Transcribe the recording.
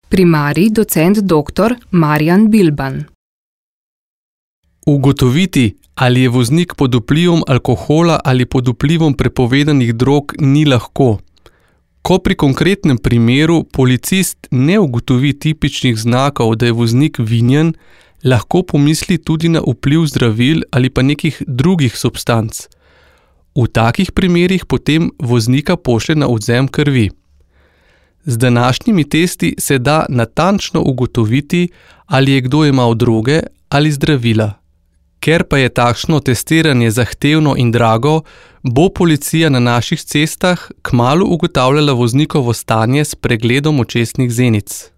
Primarij docent dr. Marjan Bilban. Ugotoviti, ali je voznik pod vplivom alkohola ali pod vplivom prepovedanih drog, ni lahko. Ko pri konkretnem primeru policist ne ugotovi tipičnih znakov, da je voznik vinjen, lahko pomisli tudi na vpliv zdravil ali pa nekih drugih substanc. V takih primerih potem voznika pošlje na odvzem krvi. Z današnjimi testi se da natančno ugotoviti, ali je kdo jemal droge ali zdravila. Ker pa je takšno testiranje zahtevno in drago, bo policija na naših cestah kmalu ugotavljala voznikovo stanje s pregledom očesnih zenic.